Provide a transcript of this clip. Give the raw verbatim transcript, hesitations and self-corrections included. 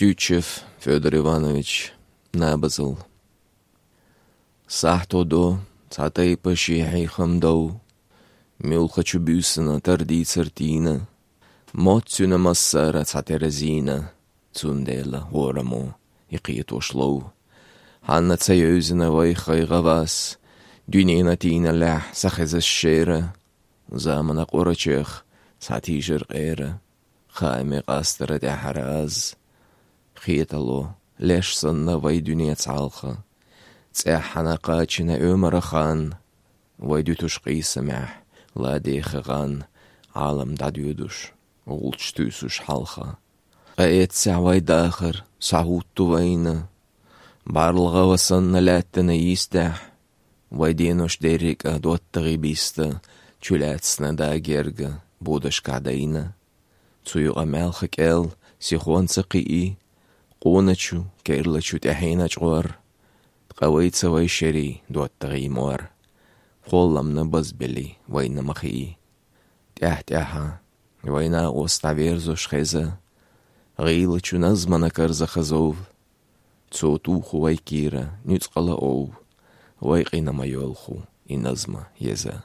Уьйчев Фёдор Иванович. Набазал. Сахьто до, цхьа тайпа ши хьехам дов, муьлххачу буьйсанна тардийцар тийна, мотт цуьнан массара цхьатерра зийна, цундела хӀораммо и кхетош лов. Хьанна ца евзина вай хай гӀавас, дуьненна тийналехь са хезаш шера, заманан къорачех схьатийжар къера, хааман къастара тӀаьхьара аз. Хетало, леш санна вай дуьне цхьалха, цӀеххьана кхачийна Ӏумаран хан, вай дуьтуш къийсамехь ладеха гӀан, Ӏалам дӀадоьдуш, гӀулч туьйсуш хьалха. Къа эццехь вай дахар схьахӀутту вайна, бӀарлагӀа ва санна лаьттана йистехь, вай денош дерриг а доттагӀий биста, чулаьцна да герга бодашкахь дайна. Цу юкъа маьлха кӀел сихонца кхии, къоначу, керлачу тӀаьхьенан чкъор, ткъа вайца вай шерий доттагӀий мор, кхолламна базбели вайна ма хии. ТӀаьхь-тӀаьхьа вай накъост дӀаверзош хеза, гӀийлачу назманан карза хазов. Цо туху вай кийра нуьцкъала ов, вай къина ма йоьлху и назма еза.